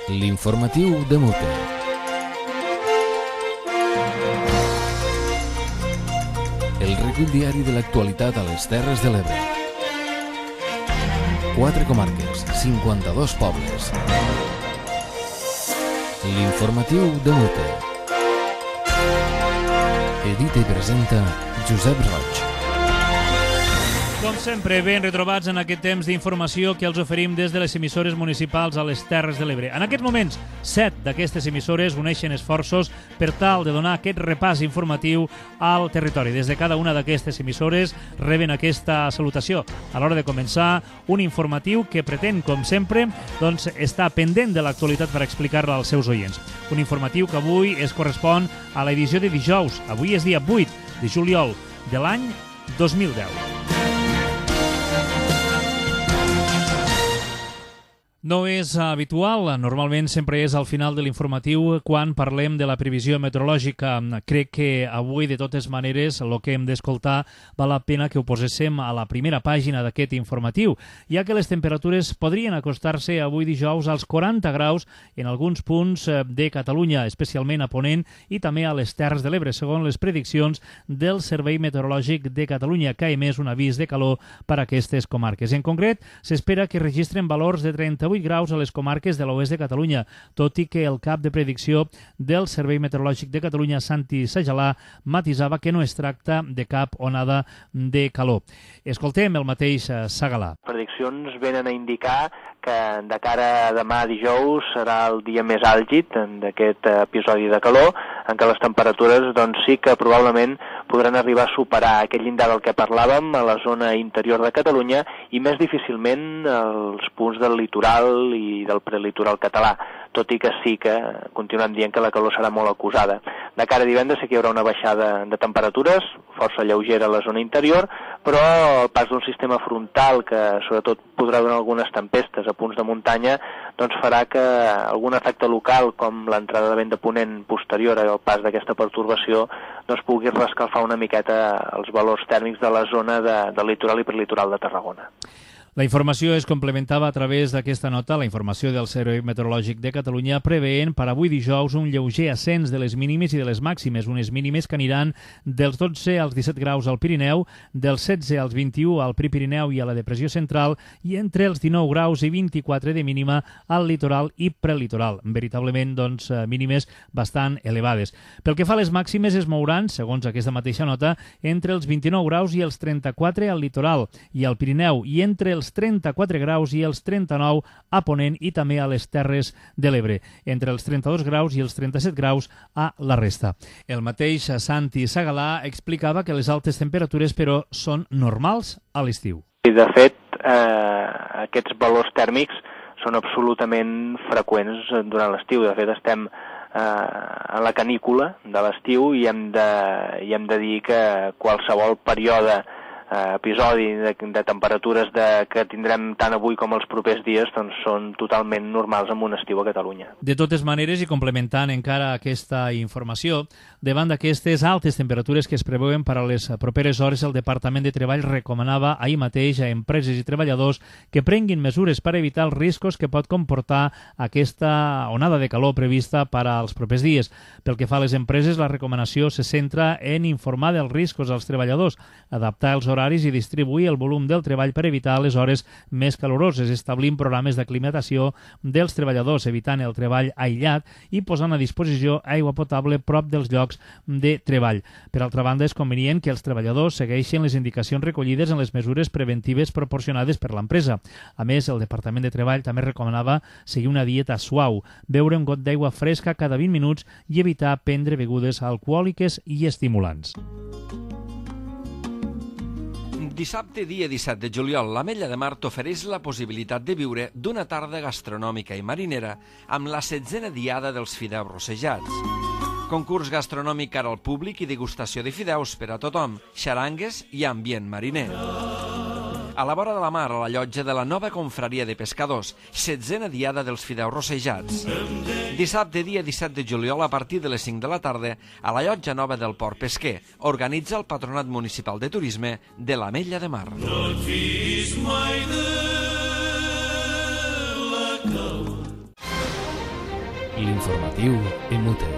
L'informatiu de Mute. El recull diari de l'actualitat a les Terres de l'Ebre. 4 comarques, 52 pobles. L'informatiu de Mute. Edita i presenta Josep Roig. Com sempre, ben retrobats en aquest temps d'informació que els oferim des de les emissores municipals a les Terres de l'Ebre. En aquests moments, 7 d'aquestes emissores uneixen esforços per tal de donar aquest repàs informatiu al territori. Des de cada una d'aquestes emissores reben aquesta salutació a l'hora de començar un informatiu que pretén, com sempre, estar pendent de l'actualitat per explicar-la als seus oients. Un informatiu que avui es correspon a l'edició de dijous. Avui és dia 8 de juliol de l'any 2010. No és habitual, normalment sempre és al final de l'informatiu quan parlem de la previsió meteorològica. Crec que avui, de totes maneres, el que hem d'escoltar val la pena que ho poséssim a la primera pàgina d'aquest informatiu, ja que les temperatures podrien acostar-se avui dijous als 40 graus en alguns punts de Catalunya, especialment a Ponent i també a les Terres de l'Ebre, segons les prediccions del Servei Meteorològic de Catalunya, que ha emès un avís de calor per a aquestes comarques. En concret, s'espera que registren valors de 38 graus a les comarques de l'oest de Catalunya, tot i que el cap de predicció del Servei Meteorològic de Catalunya, Santi Sajalà, matisava que no es tracta de cap onada de calor. Escoltem el mateix Sajalà. Les prediccions venen a indicar que de cara a demà dijous serà el dia més àlgid d'aquest episodi de calor, en què les temperatures sí que probablement podran arribar a superar aquest llindar del que parlàvem a la zona interior de Catalunya i més difícilment als punts del litoral i del prelitoral català, tot i que sí que continuem dient que la calor serà molt acusada. De cara a divendres sí que hi haurà una baixada de temperatures, força lleugera a la zona interior, però el pas d'un sistema frontal que sobretot podrà donar algunes tempestes a punts de muntanya farà que algun efecte local, com l'entrada de vent de ponent posterior al pas d'aquesta pertorbació, pugui rescalfar una miqueta els valors tèrmics de la zona del litoral i prelitoral de Tarragona. La informació es complementava a través d'aquesta nota, la informació del Servei Meteorològic de Catalunya, preveient per avui dijous un lleuger ascens de les mínimes i de les màximes, unes mínimes que aniran dels 12 als 17 graus al Pirineu, dels 16 als 21 al Prepirineu i a la Depressió Central i entre els 19 graus i 24 de mínima al litoral i prelitoral. Veritablement, mínimes bastant elevades. Pel que fa a les màximes, es mouran, segons aquesta mateixa nota, entre els 29 graus i els 34 al litoral i al Pirineu i entre els 34 graus i els 39 a Ponent i també a les Terres de l'Ebre, entre els 32 graus i els 37 graus a la resta. El mateix Santi Sajalà explicava que les altes temperatures, però, són normals a l'estiu. De fet, aquests valors tèrmics són absolutament freqüents durant l'estiu. De fet, estem a la canícula de l'estiu i hem de dir que qualsevol període episodi de temperatures que tindrem tant avui com els propers dies són totalment normals en un estiu a Catalunya. De totes maneres, i complementant encara aquesta informació, davant d'aquestes altes temperatures que es preveuen per a les properes hores, el Departament de Treball recomanava ahir mateix a empreses i treballadors que prenguin mesures per evitar els riscos que pot comportar aquesta onada de calor prevista per als propers dies. Pel que fa a les empreses, la recomanació se centra en informar dels riscos als treballadors, adaptar els horaris i distribuir el volum del treball per evitar les hores més caloroses, establint programes d'aclimatació dels treballadors, evitant el treball aïllat i posant a disposició aigua potable prop dels llocs de treball. Per altra banda, és convenient que els treballadors segueixin les indicacions recollides en les mesures preventives proporcionades per l'empresa. A més, el Departament de Treball també recomanava seguir una dieta suau, beure un got d'aigua fresca cada 20 minuts i evitar prendre begudes alcohòliques i estimulants. Dissabte, dia 17 de juliol, l'Ametlla de Mar t'ofereix la possibilitat de viure d'una tarda gastronòmica i marinera amb la 16a diada dels fideus rossejats. Concurs gastronòmic cara al públic i degustació de fideus per a tothom, xarangues i ambient mariner. A la vora de la mar, a la llotja de la nova confraria de pescadors, 16a diada dels fideus rossejats. Dissabte, dia 17 de juliol, a partir de les 5 de la tarda, a la llotja nova del Port Pesquer, organitza el Patronat Municipal de Turisme de l'Ametlla de Mar. L'informatiu EMUTE.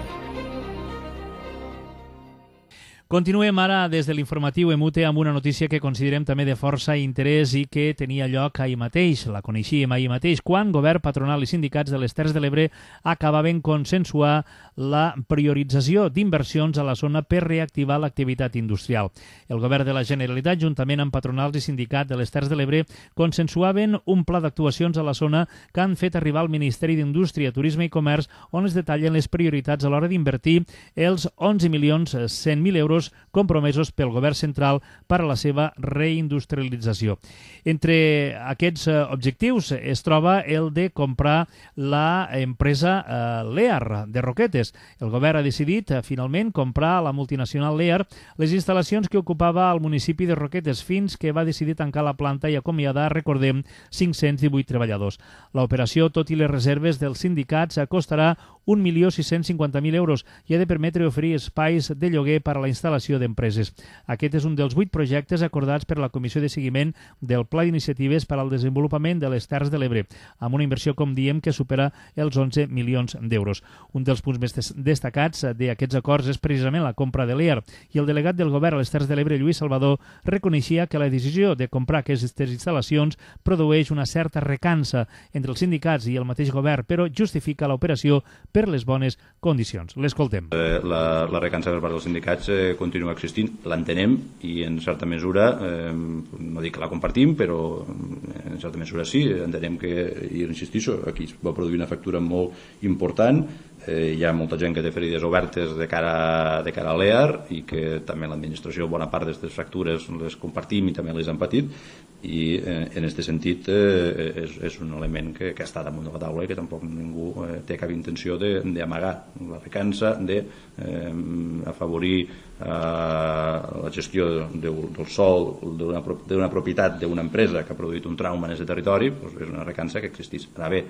Continuem ara des de l'informatiu EMUTE amb una notícia que considerem també de força interès i que tenia lloc ahir mateix, la coneixíem ahir mateix, quan govern, patronal i sindicats de les Terres de l'Ebre acabaven consensuar la priorització d'inversions a la zona per reactivar l'activitat industrial. El govern de la Generalitat, juntament amb patronals i sindicats de les Terres de l'Ebre, consensuaven un pla d'actuacions a la zona que han fet arribar al Ministeri d'Indústria, Turisme i Comerç, on es detallen les prioritats a l'hora d'invertir els 11.100.000 euros compromesos pel govern central per a la seva reindustrialització. Entre aquests objectius es troba el de comprar la empresa Lear de Roquetes. El govern ha decidit finalment comprar a la multinacional Lear les instal·lacions que ocupava al municipi de Roquetes fins que va decidir tancar la planta i acomiadar, recordem, 518 treballadors. L'operació, tot i les reserves dels sindicats, costarà 1.650.000 euros i ha de permetre oferir espais de lloguer per a la instal·lació d'empreses. Aquest és un dels 8 projectes acordats per la Comissió de Seguiment del Pla d'Iniciatives per al Desenvolupament de les Terres de l'Ebre, amb una inversió, com diem, que supera els 11 milions d'euros. Un dels punts més destacats d'aquests acords és precisament la compra de Lear, i el delegat del govern a les Terres de l'Ebre, Lluís Salvador, reconeixia que la decisió de comprar aquestes instal·lacions produeix una certa recança entre els sindicats i el mateix govern, però justifica l'operació per les bones condicions. L'escoltem. La recança per part dels sindicats continua existint, l'entenem i en certa mesura, no dic que la compartim, però en certa mesura sí, entenem que, i insistixo, aquí es va produir una factura molt important, hi ha molta gent que té ferides obertes de cara a l'EAR i que també l'administració bona part d'aquestes factures les compartim i també les hem patit, i en aquest sentit és un element que està damunt de la taula i que tampoc ningú té cap intenció d'amagar la recança, d'afavorir la gestió del sòl d'una propietat d'una empresa que ha produït un trauma en aquest territori. És una recança que existeix. Ara bé,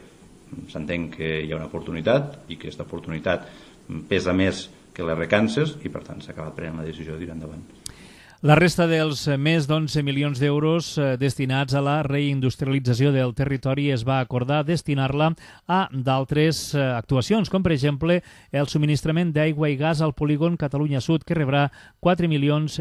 s'entén que hi ha una oportunitat i que aquesta oportunitat pesa més que les recances i per tant s'ha acabat prenent la decisió de tirar endavant. La resta dels més d'11 milions d'euros destinats a la reindustrialització del territori es va acordar destinar-la a d'altres actuacions, com per exemple el subministrament d'aigua i gas al polígon Catalunya Sud, que rebrà 4,5 milions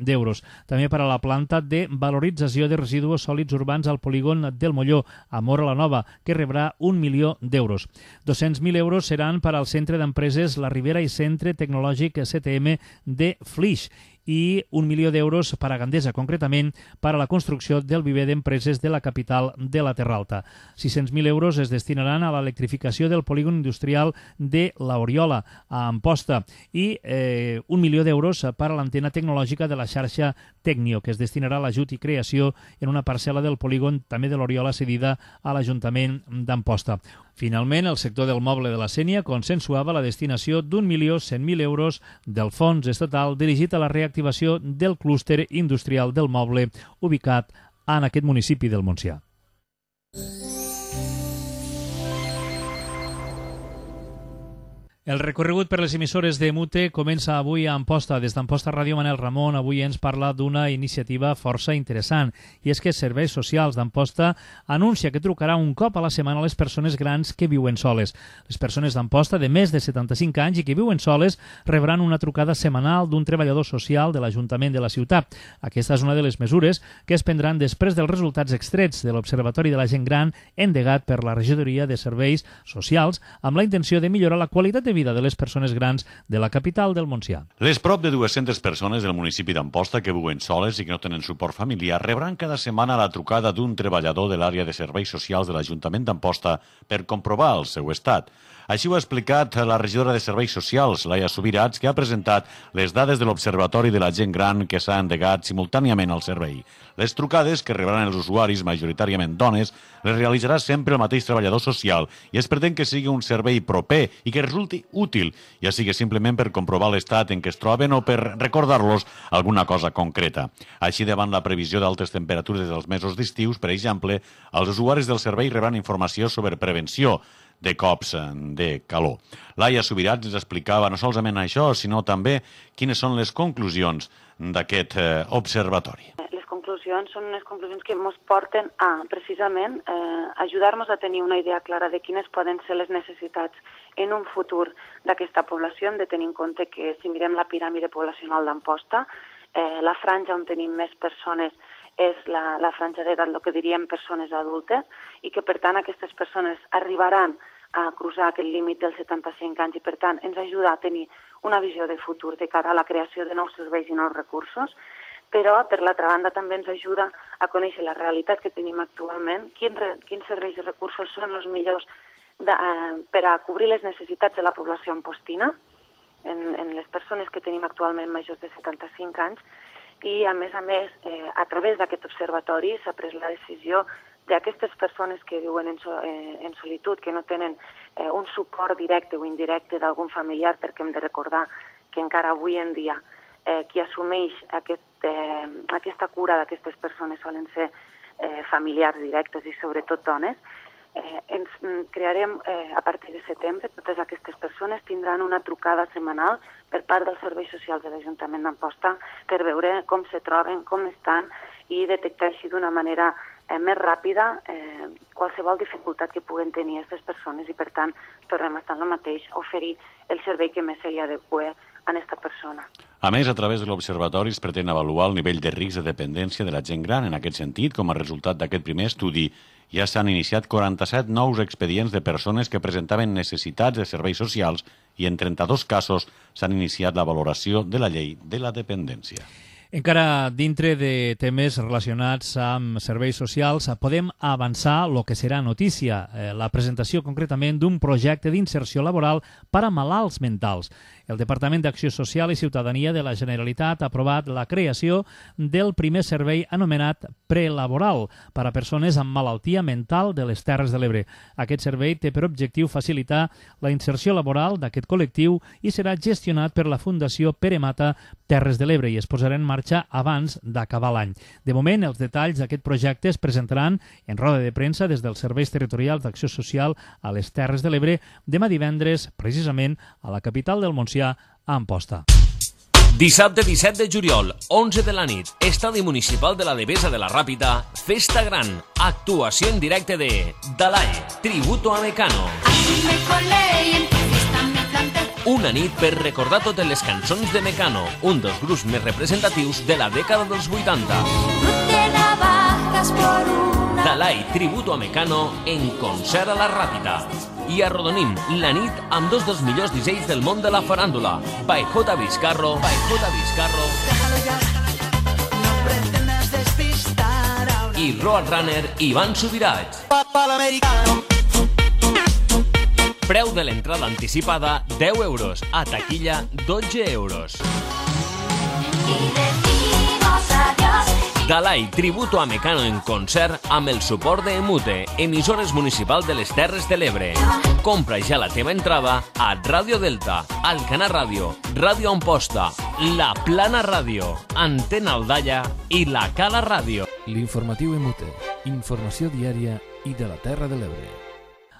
d'euros. També per a la planta de valorització de residus sòlids urbans al polígon del Molló, a Móra la Nova, que rebrà 1 milió d'euros. 200.000 euros seran per al Centre d'Empreses La Ribera i Centre Tecnològic CTM de Flix, i 1 milió d'euros per a Gandesa, concretament per a la construcció del viver d'empreses de la capital de la Terra Alta. 600.000 euros es destinaran a l'electrificació del polígon industrial de l'Oriola, a Amposta, i 1 milió d'euros per a l'antena tecnològica de la xarxa Tecnio, que es destinarà a l'ajut i creació en una parcel·la del polígon també de l'Oriola cedida a l'Ajuntament d'Amposta. Finalment, el sector del moble de la Sénia consensuava la destinació d'1.100.000 euros del fons estatal dirigit a la reactivació del clúster industrial del moble ubicat en aquest municipi del Montsià. El recorregut per les emissores de EMUTE comença avui a Amposta. Des d'Amposta Ràdio, Manel Ramon avui ens parla d'una iniciativa força interessant, i és que Serveis Socials d'Amposta anuncia que trucarà un cop a la setmana a les persones grans que viuen soles. Les persones d'Amposta de més de 75 anys i que viuen soles rebran una trucada setmanal d'un treballador social de l'Ajuntament de la ciutat. Aquesta és una de les mesures que es prendran després dels resultats extrets de l'Observatori de la Gent Gran endegat per la Regidoria de Serveis Socials amb la intenció de millorar la qualitat de vida de les persones grans de la capital del Montsià. Les prop de 200 persones del municipi d'Amposta que viuen soles i que no tenen suport familiar rebran cada setmana la trucada d'un treballador de l'àrea de serveis socials de l'Ajuntament d'Amposta per comprovar el seu estat. Així ho ha explicat la regidora de Serveis Socials, Laia Subirats, que ha presentat les dades de l'Observatori de la Gent Gran que s'ha endegat simultàniament al servei. Les trucades que rebran els usuaris, majoritàriament dones, les realitzarà sempre el mateix treballador social i es pretén que sigui un servei proper i que resulti útil, ja sigui simplement per comprovar l'estat en què es troben o per recordar-los alguna cosa concreta. Així, davant la previsió d'altes temperatures dels mesos d'estius, per exemple, els usuaris del servei rebran informació sobre prevenció de cops de calor. Laia Subirats ens explicava no solament això, sinó també quines són les conclusions d'aquest observatori. Les conclusions conclusions són unes conclusions que ens porten a, precisament, ajudar-nos a tenir una idea clara de quines poden ser les necessitats en un futur d'aquesta població. Hem de tenir en compte que, si mirem la piràmide poblacional d'Amposta, la franja on tenim més persones és la franja d'edat, el que diríem persones adultes, i que, per tant, aquestes persones arribaran a cruzar aquest límit dels 75 anys i, per tant, ens ajuda a tenir una visió de futur de cara a la creació de nous serveis i nous recursos, però, per l'altra banda, també ens ajuda a conèixer la realitat que tenim actualment, quins serveis i recursos són els millors per a cobrir les necessitats de la població ampostina, en les persones que tenim actualment majors de 75 anys, i, a més, a través d'aquest observatori s'ha pres la decisió d'aquestes persones que viuen en solitud, que no tenen un suport directe o indirecte d'algun familiar, perquè hem de recordar que encara avui en dia qui assumeix aquesta cura d'aquestes persones solen ser familiars directes i sobretot dones. Ens crearem a partir de setembre, totes aquestes persones tindran una trucada setmanal per part dels serveis socials de l'Ajuntament d'Amposta per veure com se troben, com estan i detectar així d'una manera més ràpida qualsevol dificultat que puguen tenir aquestes persones i, per tant, tornem a estar en el mateix, oferir el servei que més s'hi adequa a aquesta persona. A més, a través de l'observatori es pretén avaluar el nivell de risc de dependència de la gent gran. En aquest sentit, com a resultat d'aquest primer estudi, ja s'han iniciat 47 nous expedients de persones que presentaven necessitats de serveis socials i en 32 casos s'han iniciat la valoració de la llei de la dependència. Encara dintre de temes relacionats amb serveis socials, podem avançar el que serà notícia, la presentació concretament d'un projecte d'inserció laboral per a malalts mentals. El Departament d'Acció Social i Ciutadania de la Generalitat ha aprovat la creació del primer servei anomenat prelaboral per a persones amb malaltia mental de les Terres de l'Ebre. Aquest servei té per objectiu facilitar la inserció laboral d'aquest col·lectiu i serà gestionat per la Fundació Pere Mata Terres de l'Ebre i es posarà en marxa abans d'acabar l'any. De moment, els detalls d'aquest projecte es presentaran en roda de premsa des dels serveis territorials d'Acció Social a les Terres de l'Ebre demà divendres, precisament a la capital del Montsià, a Amposta. Dissabte 17 de juliol, 11 de la nit, Estadi Municipal de la Devesa de la Ràpita, Festa Gran, actuació en directe de Dalai, Tributo a Mecano. Una nit per recordar totes les cançons de Mecano, un dels grups més representatius de la dècada dels 80. Dalai, Tributo a Mecano, en concert a la Ràpita. I arrodonim la nit amb dos dels millors DJs del món de la faràndula, by J. Vizcarro, i Roadrunner Ivan Subirats. Preu de l'entrada anticipada 10 euros, a taquilla 12 euros. Dalai, Tributo a Mecano en concert amb el suport de Emute, emissores municipal de les Terres de l'Ebre. Compra ja la teva entrada a Ràdio Delta, Alcanar Ràdio, Ràdio Amposta, La Plana Ràdio, Antena Aldaia i La Cala Ràdio. L'informatiu Emute, informació diària i de la Terra de l'Ebre.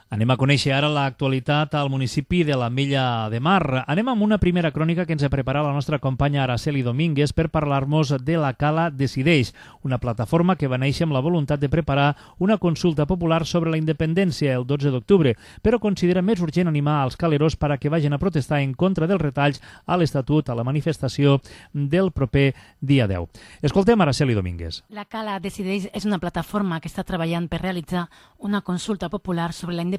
Anem a conèixer ara l'actualitat al municipi de l'Ametlla de Mar. Anem amb una primera crònica que ens ha preparat la nostra companya Araceli Domínguez per parlar-nos de La Cala Decideix, una plataforma que va néixer amb la voluntat de preparar una consulta popular sobre la independència el 12 d'octubre, però considera més urgent animar als caleros per a que vagin a protestar en contra dels retalls a l'Estatut a la manifestació del proper dia 10. Escoltem Araceli Domínguez. La Cala Decideix és una plataforma que està treballant per realitzar una consulta popular sobre la independència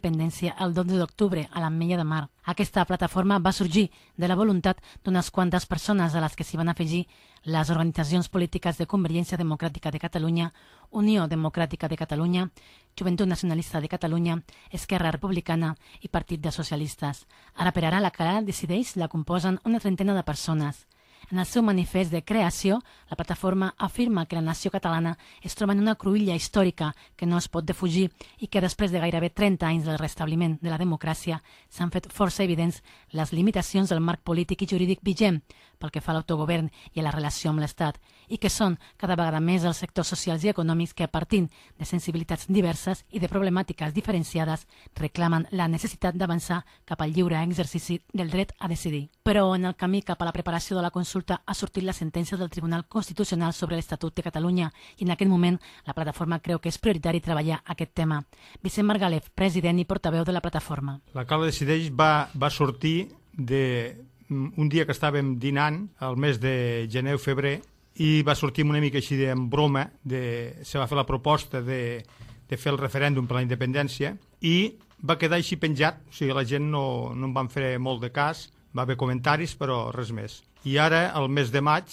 el 12 d'octubre a l'Ametlla de Mar. Aquesta plataforma va sorgir de la voluntat d'unes quantes persones a les que s'hi van afegir les organitzacions polítiques de Convergència Democràtica de Catalunya, Unió Democràtica de Catalunya, Joventut Nacionalista de Catalunya, Esquerra Republicana i Partit de Socialistes. Ara per ara la Cala Decideix la composen una trentena de persones. En el seu manifest de creació, la plataforma afirma que la nació catalana es troba en una cruïlla històrica que no es pot defugir i que després de gairebé 30 anys del restabliment de la democràcia s'han fet força evidents les limitacions del marc polític i jurídic vigent pel que fa a l'autogovern i a la relació amb l'Estat i que són cada vegada més els sectors socials i econòmics que, partint de sensibilitats diverses i de problemàtiques diferenciades, reclamen la necessitat d'avançar cap al lliure exercici del dret a decidir. Però en el camí cap a la preparació de la consulta consulta ha sortit la sentència del Tribunal Constitucional sobre l'Estatut de Catalunya i en aquest moment la plataforma creu que és prioritari treballar aquest tema. Vicent Margalef, president i portaveu de la plataforma. La Cala Decideix va sortir d'un dia que estàvem dinant, al mes de gener o febrer, i va sortir una mica així en broma, se va fer la proposta de fer el referèndum per la independència i va quedar així penjat, o sigui, la gent no en van fer molt de cas, va haver comentaris, però res més. I ara, el mes de maig,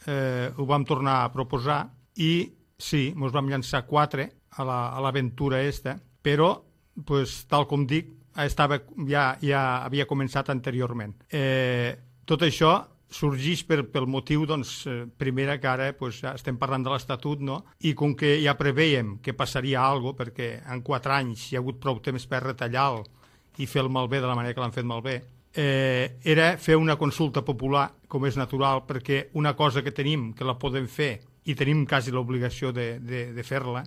ho vam tornar a proposar i sí, ens vam llançar 4 a l'aventura esta, però, tal com dic, ja havia començat anteriorment. Tot això sorgeix pel motiu, primera, que ara estem parlant de l'Estatut, no? I com que ja preveiem que passaria alguna cosa, perquè en 4 anys hi ha hagut prou temps per retallar-lo i fer el malbé de la manera que l'han fet malbé, era fer una consulta popular, com és natural, perquè una cosa que tenim, que la podem fer, i tenim quasi l'obligació de fer-la,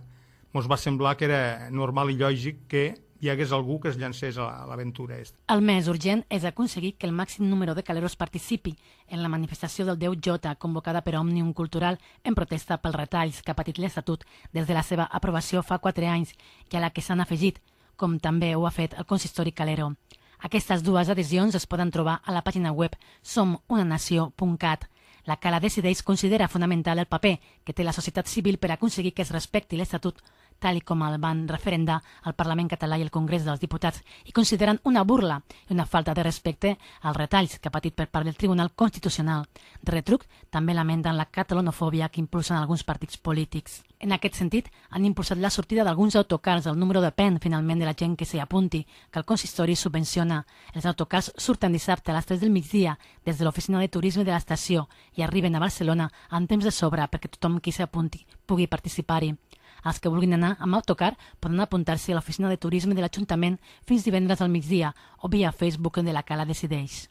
ens va semblar que era normal i lògic que hi hagués algú que es llancés a l'aventura. El més urgent és aconseguir que el màxim número de caleros participi en la manifestació del 10J convocada per Òmnium Cultural en protesta pels retalls que ha patit l'Estatut des de la seva aprovació fa 4 anys i a la que s'han afegit, com també ho ha fet el consistori calero. Aquestes 2 adhesions es poden trobar a la pàgina web somunanació.cat. La Cala Decideix considera fonamental el paper que té la societat civil per aconseguir que es respecti l'Estatut, tal com el van referendar al Parlament català i el Congrés dels Diputats, i consideren una burla i una falta de respecte als retalls que ha patit per part del Tribunal Constitucional. De retruc, també lamenten la catalanofòbia que impulsen alguns partits polítics. En aquest sentit, han impulsat la sortida d'alguns autocars. El número depèn, finalment, de la gent que s'hi apunti, que el consistori subvenciona. Els autocars surten dissabte a les 3 del migdia des de l'oficina de turisme de l'estació i arriben a Barcelona amb temps de sobre perquè tothom qui s'hi apunti pugui participar-hi. Els que vulguin anar amb autocar poden apuntar-se a l'oficina de turisme de l'Ajuntament fins divendres al migdia o via Facebook de la Cala Decideix.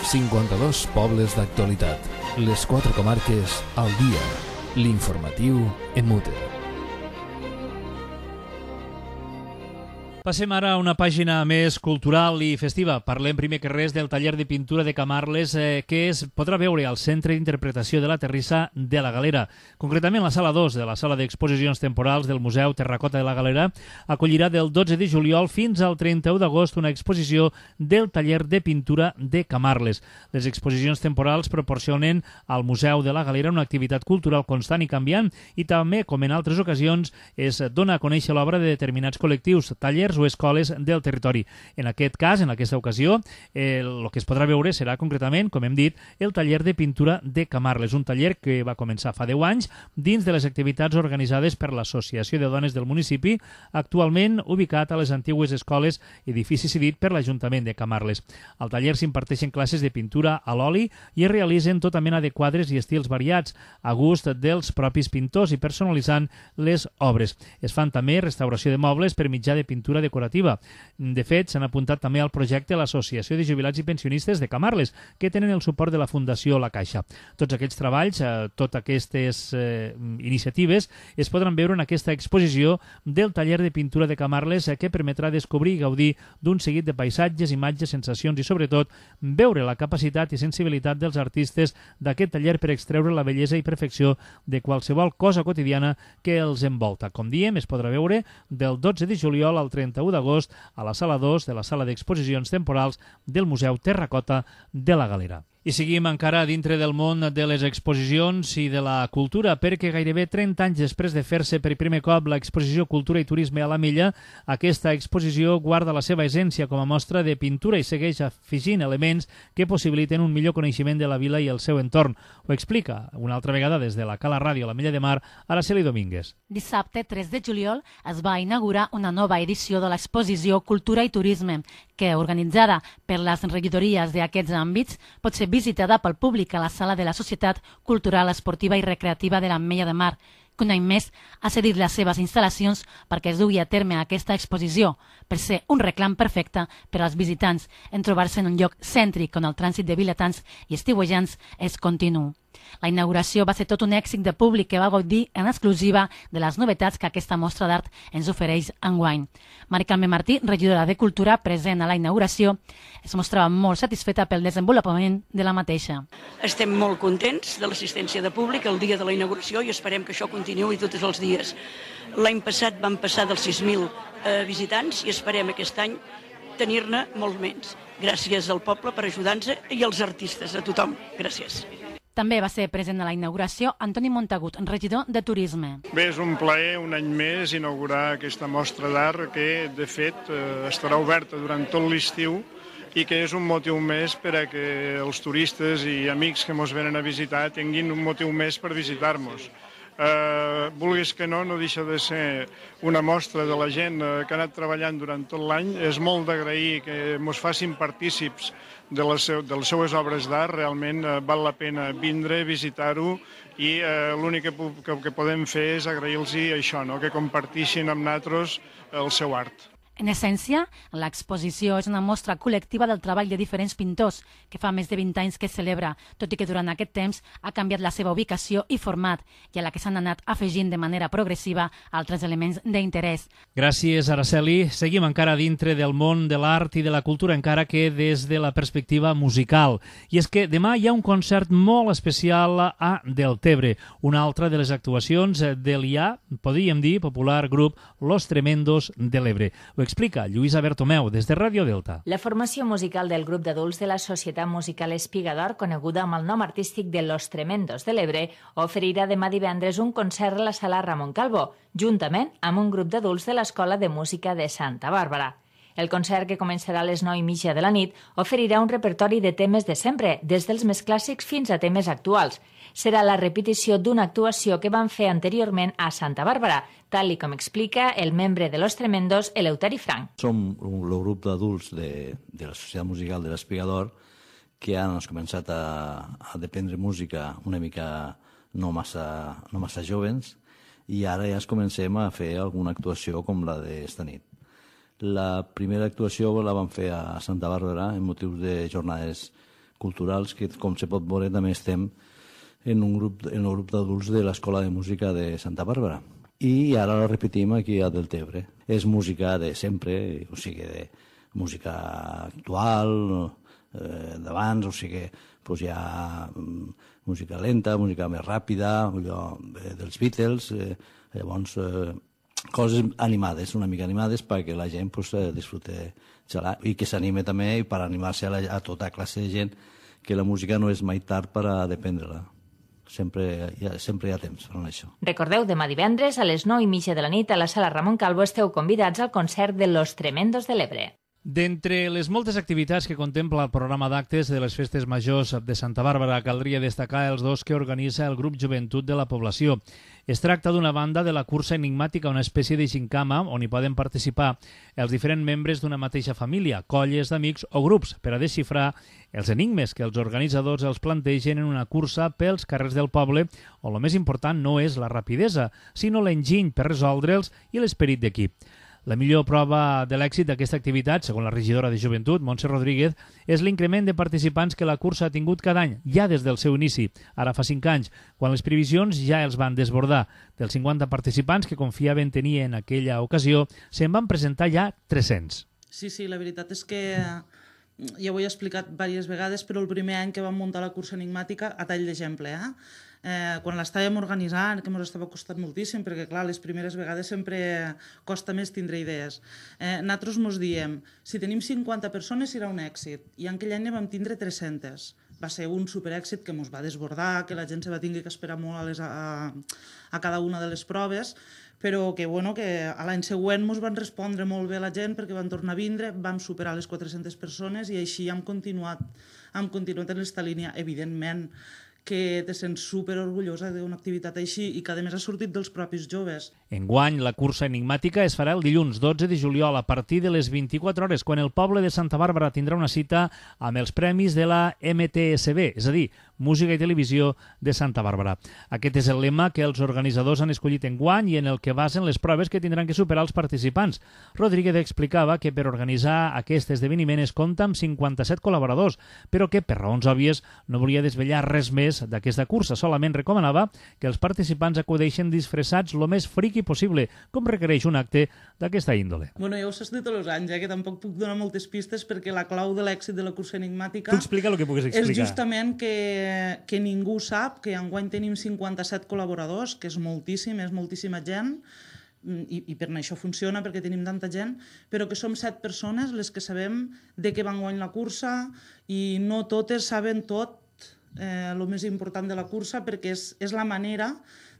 52 pobles d'actualitat. Les 4 comarques al dia. L'informatiu en Mute. Passem ara a una pàgina més cultural i festiva. Parlem primer que res del taller de pintura de Camarles que es podrà veure al Centre d'Interpretació de la Terrissa de la Galera. Concretament, la sala 2 de la sala d'exposicions temporals del Museu Terracota de la Galera acollirà del 12 de juliol fins al 31 d'agost una exposició del taller de pintura de Camarles. Les exposicions temporals proporcionen al Museu de la Galera una activitat cultural constant i canviant i també, com en altres ocasions, es dona a conèixer l'obra de determinats col·lectius, tallers o escoles del territori. En aquest cas, en aquesta ocasió, el que es podrà veure serà concretament, com hem dit, el taller de pintura de Camarles, un taller que va començar fa 10 anys dins de les activitats organitzades per l'Associació de Dones del municipi, actualment ubicat a les antigues escoles edifici cedit per l'Ajuntament de Camarles. Al taller s'imparteixen classes de pintura a l'oli i es realitzen tota mena de quadres i estils variats, a gust dels propis pintors i personalitzant les obres. Es fan també restauració de mobles per mitjà de pintura decorativa. De fet, s'han apuntat també al projecte l'Associació de Jubilats i Pensionistes de Camarles, que tenen el suport de la Fundació La Caixa. Tots aquests treballs, totes aquestes iniciatives, es podran veure en aquesta exposició del taller de pintura de Camarles que permetrà descobrir i gaudir d'un seguit de paisatges, imatges, sensacions i, sobretot, veure la capacitat i sensibilitat dels artistes d'aquest taller per extreure la bellesa i perfecció de qualsevol cosa quotidiana que els envolta. Com diem, es podrà veure del 12 de juliol al 31 d'agost a la sala 2 de la sala d'exposicions temporals del Museu Terracota de la Galera. I seguim encara dintre del món de les exposicions i de la cultura, perquè gairebé 30 anys després de fer-se per primer cop l'exposició Cultura i Turisme a la Milla, aquesta exposició guarda la seva essència com a mostra de pintura i segueix afegint elements que possibiliten un millor coneixement de la vila i el seu entorn. Ho explica una altra vegada des de la Cala Ràdio a la Milla de Mar, Araceli Domínguez. Dissabte, 3 de juliol, es va inaugurar una nova edició de l'exposició Cultura i Turisme, que, organitzada per les regidories d'aquests àmbits, pot ser visitada pel públic a la sala de la Societat Cultural, Esportiva i Recreativa de l'Ametlla de Mar, que un any més ha cedit les seves instal·lacions perquè es dugui a terme aquesta exposició, per ser un reclam perfecte per als visitants en trobar-se en un lloc cèntric on el trànsit de vilatans i estiuejants és continu. La inauguració va ser tot un èxit de públic que va gaudir en exclusiva de les novetats que aquesta mostra d'art ens ofereix enguany. Mari Carme Martí, regidora de Cultura, present a la inauguració, es mostrava molt satisfeta pel desenvolupament de la mateixa. Estem molt contents de l'assistència de públic el dia de la inauguració i esperem que això continuï tots els dies. L'any passat van passar dels 6.000 visitants i esperem aquest any tenir-ne molt menys. Gràcies al poble per ajudar-nos i als artistes, a tothom. Gràcies. També va ser present a la inauguració Antoni Montagut, regidor de Turisme. Bé, és un plaer un any més inaugurar aquesta mostra d'art que, de fet, estarà oberta durant tot l'estiu i que és un motiu més per a que els turistes i amics que ens venen a visitar tinguin un motiu més per visitar-nos. Vulguis que no deixa de ser una mostra de la gent que ha anat treballant durant tot l'any. És molt d'agrair que ens facin partícips de les seues obres d'art. Realment val la pena vindre, visitar-ho i l'únic que podem fer és agrair-los això, que compartixin amb nosaltres el seu art. En essència, l'exposició és una mostra col·lectiva del treball de diferents pintors que fa més de 20 anys que es celebra, tot i que durant aquest temps ha canviat la seva ubicació i format i a la que s'han anat afegint de manera progressiva altres elements d'interès. Gràcies, Araceli. Seguim encara dintre del món de l'art i de la cultura, encara que des de la perspectiva musical. I és que demà hi ha un concert molt especial a Deltebre, una altra de les actuacions del ja, podríem dir, popular grup Los Tremendos de l'Ebre. Ho explica Lluïsa Bertomeu, des de Ràdio Delta. La formació musical del grup d'adults de la Societat Musical Espigador, coneguda amb el nom artístic de Los Tremendos de l'Ebre, oferirà demà divendres un concert a la Sala Ramon Calvo, juntament amb un grup d'adults de l'Escola de Música de Santa Bàrbara. El concert, que començarà a les 9:30 de la nit, oferirà un repertori de temes de sempre, des dels més clàssics fins a temes actuals. Serà la repetició d'una actuació que van fer anteriorment a Santa Bàrbara, tal com explica el membre de Los Tremendos, Eleuteri Frank. Som el grup d'adults de la Societat Musical de l'Espigador que han començat a aprendre música una mica no massa jovens i ara ja comencem a fer alguna actuació com la d'esta nit. La primera actuació la vam fer a Santa Bàrbara en motius de jornades culturals que, com se pot veure, també estem en el grup d'adults de l'Escola de Música de Santa Bàrbara. I ara la repetim aquí a Deltebre. És música de sempre, o sigui, de música actual, d'abans, o sigui, doncs hi ha música lenta, música més ràpida, allò dels Beatles, llavors coses animades, una mica animades perquè la gent disfrute xalar i que s'anime també per animar-se a tota classe de gent, que la música no és mai tard per a dependre-la. Sempre hi ha temps per això. Recordeu, demà divendres a les 9:30 de la nit a la Sala Ramon Calvo esteu convidats al concert de Los Tremendos de l'Ebre. D'entre les moltes activitats que contempla el programa d'actes de les festes majors de Santa Bàrbara, caldria destacar els dos que organitza el grup Joventut de la Població. Es tracta d'una banda de la cursa enigmàtica, una espècie de gincama on hi poden participar els diferents membres d'una mateixa família, colles d'amics o grups, per a desxifrar els enigmes que els organitzadors els plantegen en una cursa pels carrers del poble, on el més important no és la rapidesa, sinó l'enginy per resoldre'ls i l'esperit d'equip. La millor prova de l'èxit d'aquesta activitat, segons la regidora de Joventut, Montse Rodríguez, és l'increment de participants que la cursa ha tingut cada any, ja des del seu inici, ara fa 5 anys, quan les previsions ja els van desbordar. Dels 50 participants que confiaven tenir en aquella ocasió, se'n van presentar ja 300. Sí, la veritat és que ja ho he explicat diverses vegades, però el primer any que vam muntar la cursa enigmàtica, a tall d'exemple, quan l'estàvem organitzant, que ens estava costant moltíssim, perquè clar, les primeres vegades sempre costa més tindre idees. Nosaltres ens diem, si tenim 50 persones serà un èxit, i aquell any vam tindre 300. Va ser un superèxit que ens va desbordar, que la gent se va tenir que esperar molt a cada una de les proves, però que a l'any següent ens van respondre molt bé la gent perquè van tornar a vindre, vam superar les 400 persones i així hem continuat en aquesta línia. Evidentment que te sents superorgullosa d'una activitat així i que a més ha sortit dels propis joves. Enguany, la cursa enigmàtica es farà el dilluns 12 de juliol a partir de les 24 hores, quan el poble de Santa Bàrbara tindrà una cita amb els premis de la MTSB, és a dir, Música i Televisió de Santa Bàrbara. Aquest és el lema que els organitzadors han escollit enguany i en el que basen les proves que tindran que superar els participants. Rodríguez explicava que per organitzar aquest esdeveniment es compta amb 57 col·laboradors, però que, per raons òbvies, no volia desvetllar res més interès d'aquesta cursa. Solament recomanava que els participants acudeixen disfressats lo més friqui possible, com requereix un acte d'aquesta índole. Bueno, ja ho saps de tots els anys, que tampoc puc donar moltes pistes perquè la clau de l'èxit de la cursa enigmàtica... Tu explica el que puguis explicar. És justament que ningú sap que enguany tenim 57 col·laboradors, que és moltíssima gent, i per això funciona, perquè tenim tanta gent, però que som 7 persones les que sabem de què va enguany la cursa i no totes saben tot el més important de la cursa, perquè és la manera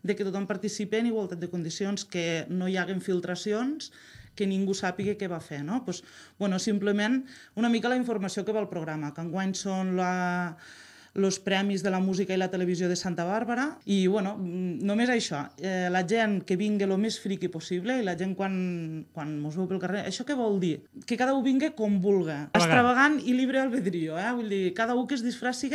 de que tothom participi en igualtat de condicions, que no hi haguen filtracions, que ningú sàpiga què va fer, no? Simplement una mica la informació que va al programa, que enguany són els premis de la música i la televisió de Santa Bàrbara i, només això, la gent que vingui el més friqui possible i la gent quan mos veu pel carrer, això què vol dir? Que cada un vingui com vulgui, extravagant i libre albedrío, vull dir, cada un que es disfressi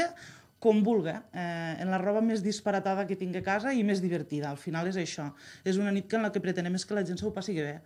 com vulgui, en la roba més disparatada que tingui a casa i més divertida. Al final és això, és una nit en la que pretenem és que la gent s'ho passi bé.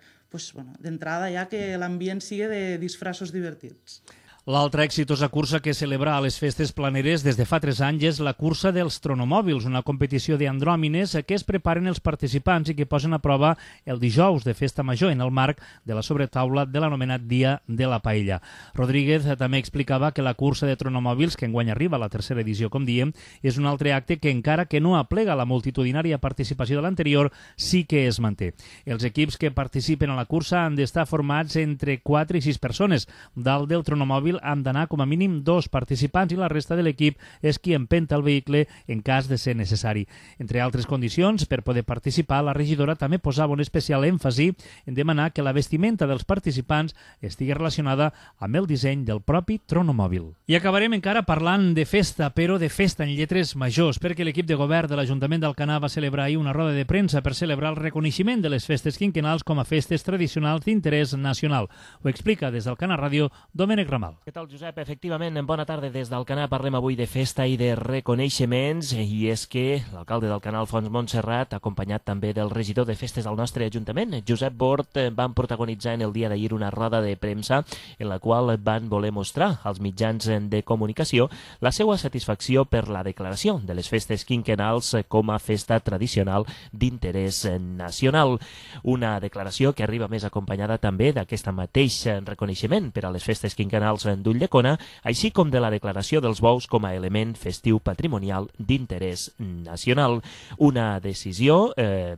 D'entrada ja que l'ambient sigui de disfressos divertits. L'altra exitosa cursa que celebra a les festes planeres des de fa 3 anys és la cursa dels tronomòbils, una competició d'andròmines que es preparen els participants i que posen a prova el dijous de festa major en el marc de la sobretaula de l'anomenat Dia de la Paella. Rodríguez també explicava que la cursa de tronomòbils, que enguany arriba a la 3a edició, com diem, és un altre acte que encara que no aplega la multitudinària participació de l'anterior, sí que es manté. Els equips que participen a la cursa han d'estar formats entre 4 i 6 persones. Dalt del tronomòbil han d'anar com a mínim 2 participants i la resta de l'equip és qui empenta el vehicle en cas de ser necessari. Entre altres condicions, per poder participar, la regidora també posava un especial èmfasi en demanar que la vestimenta dels participants estigui relacionada amb el disseny del propi tronomòbil. I acabarem encara parlant de festa, però de festa en lletres majors, perquè l'equip de govern de l'Ajuntament d'Alcanar va celebrar ahir una roda de premsa per celebrar el reconeixement de les festes quinquennals com a festes tradicionals d'interès nacional. Ho explica des d'Alcanar Ràdio Domènec Ramal. Què tal, Josep? Efectivament, bona tarda des d'Alcanar. Parlem avui de festa i de reconeixements, i és que l'alcalde d'Alcanar, Alfons Montserrat, acompanyat també del regidor de festes del nostre Ajuntament, Josep Bort, van protagonitzar en el dia d'ahir una roda de premsa en la qual van voler mostrar als mitjans de comunicació la seva satisfacció per la declaració de les festes quinquennals com a festa tradicional d'interès nacional. Una declaració que arriba més acompanyada també d'aquest mateix reconeixement per a les festes quinquennals d'Ulldecona, així com de la declaració dels bous com a element festiu patrimonial d'interès nacional. Una decisió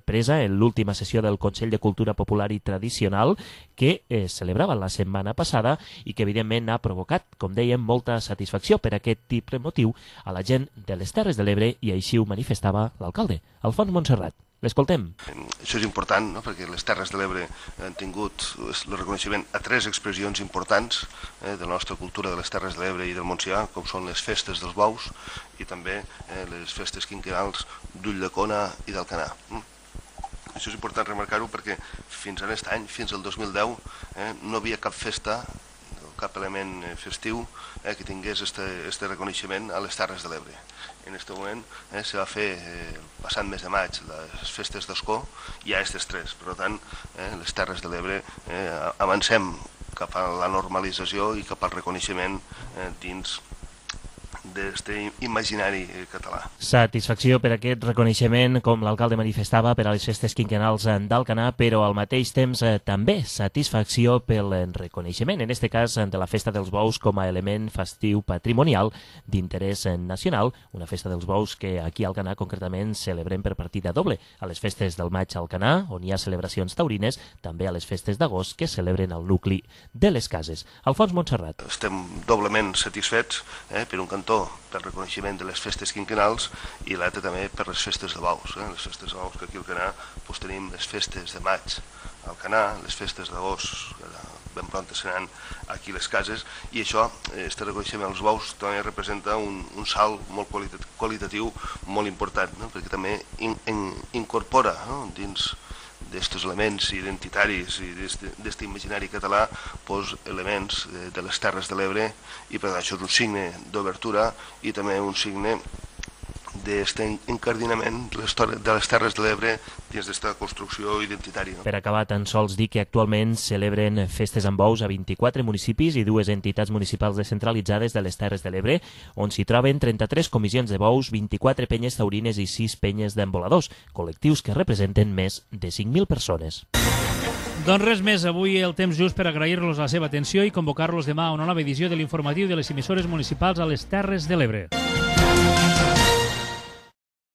presa en l'última sessió del Consell de Cultura Popular i Tradicional que es celebrava la setmana passada i que evidentment ha provocat, com dèiem, molta satisfacció per aquest tipus de motiu a la gent de les Terres de l'Ebre, i així ho manifestava l'alcalde, Alfons Montserrat. L'escoltem. Això és important, no? Perquè les Terres de l'Ebre han tingut el reconeixement a 3 expressions importants de la nostra cultura de les Terres de l'Ebre i del Montsià, com són les festes dels bous i també les festes quinquennals d'Ulldecona i d'Alcanar. Això és important remarcar-ho perquè fins a aquest any, fins al 2010, no havia cap festa, cap element festiu que tingués este reconeixement a les Terres de l'Ebre. En aquest moment se va fer, passant mes de maig, les festes d'Escó, i hi ha aquestes 3. Per tant, les Terres de l'Ebre avancem cap a la normalització i cap al reconeixement dins d'aquest imaginari català. Satisfacció per aquest reconeixement, com l'alcalde manifestava, per a les festes quinquennals d'Alcanar, però al mateix temps també satisfacció pel reconeixement, en aquest cas de la Festa dels Bous com a element festiu patrimonial d'interès nacional, una Festa dels Bous que aquí a Alcanar concretament celebrem per partida doble, a les festes del maig a Alcanar, on hi ha celebracions taurines, també a les festes d'agost que celebren al nucli de les cases. Alfons Montserrat. Estem doblement satisfets, per un cantó pel reconeixement de les festes quinquennals i l'altre també per les festes de bous. Les festes de bous que aquí al Alcanar tenim les festes de maig al Alcanar, les festes d'agost ben pront seran aquí les cases, i això, este reconeixement als bous també representa un salt molt qualitatiu molt important, perquè també incorpora dins d'aquests elements identitaris i d'aquest imaginari català elements de les Terres de l'Ebre, i per tant això és un signe d'obertura i també un signe d'aquest encardinament de les Terres de l'Ebre dins d'aquesta construcció identitària. Per acabar, tan sols dir que actualment celebren festes amb bous a 24 municipis i 2 entitats municipals descentralitzades de les Terres de l'Ebre, on s'hi troben 33 comissions de bous, 24 penyes taurines i 6 penyes d'emboladors, col·lectius que representen més de 5.000 persones. Doncs res més, avui el temps just per agrair-los la seva atenció i convocar-los demà a una nova edició de l'informatiu de les emissores municipals a les Terres de l'Ebre.